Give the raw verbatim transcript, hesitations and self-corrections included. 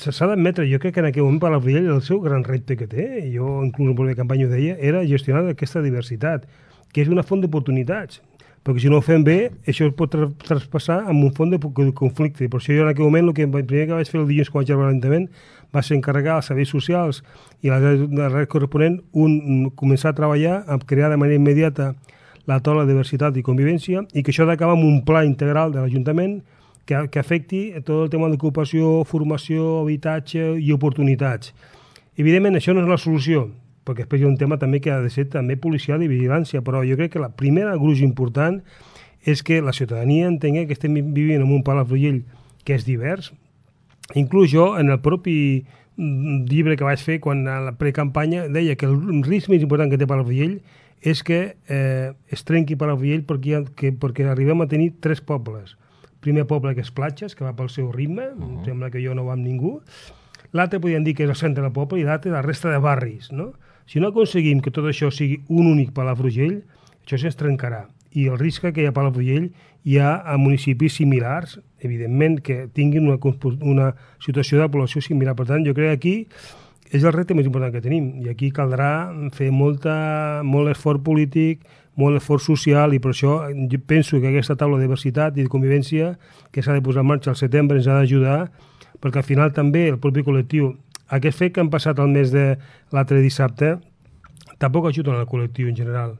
s'ha d'admetre, jo crec que en aquell moment Palafrugell el seu gran repte que té, jo inclús en la campanya ho deia, era gestionar aquesta diversitat, que és una font d'oportunitats, perquè si no ho fem bé, això es pot tra traspassar en un font de conflicte. Per això jo en aquell moment el, que, el primer que vaig fer el dilluns quan vaig arribar a l'Ajuntament va ser encarregar als serveis socials i a la corresponent un, començar a treballar a crear de manera immediata la taula de diversitat i convivència i que això ha d'acabar amb un pla integral de l'Ajuntament que, que afecti tot el tema d'ocupació, formació, habitatge i oportunitats. Evidentment, això no és la solució, perquè després hi ha un tema també que ha de ser també policial i vigilància, però jo crec que la primera gruix important és que la ciutadania entengui que estem vivint en un Palafrugell que és divers. Inclús jo, en el propi llibre que vaig fer, quan a la precampanya, deia que el risc més important que té Palafrugell és que eh, es trenqui Palafrugell perquè, que, perquè arribem a tenir tres pobles. Primer poble que és Platges, que va pel seu ritme, uh -huh. em sembla que jo no va amb ningú. L'altre podríem dir que és el centre del poble i l'altre la resta de barris, no? Si no aconseguim que tot això sigui un únic Palafrugell, això se'ns trencarà. I el risc que hi ha a Palafrugell hi ha a municipis similars, evidentment, que tinguin una, una situació de població similar. Per tant, jo crec que aquí és el repte més important que tenim. I aquí caldrà fer molta, molt esforç polític, molt esforç social, i per això jo penso que aquesta taula de diversitat i de convivència que s'ha de posar en marxa al setembre ens ha d'ajudar, perquè al final també el propi col·lectiu, aquest fet que han passat el mes de l'altre dissabte, tampoc ajuda al col·lectiu en general.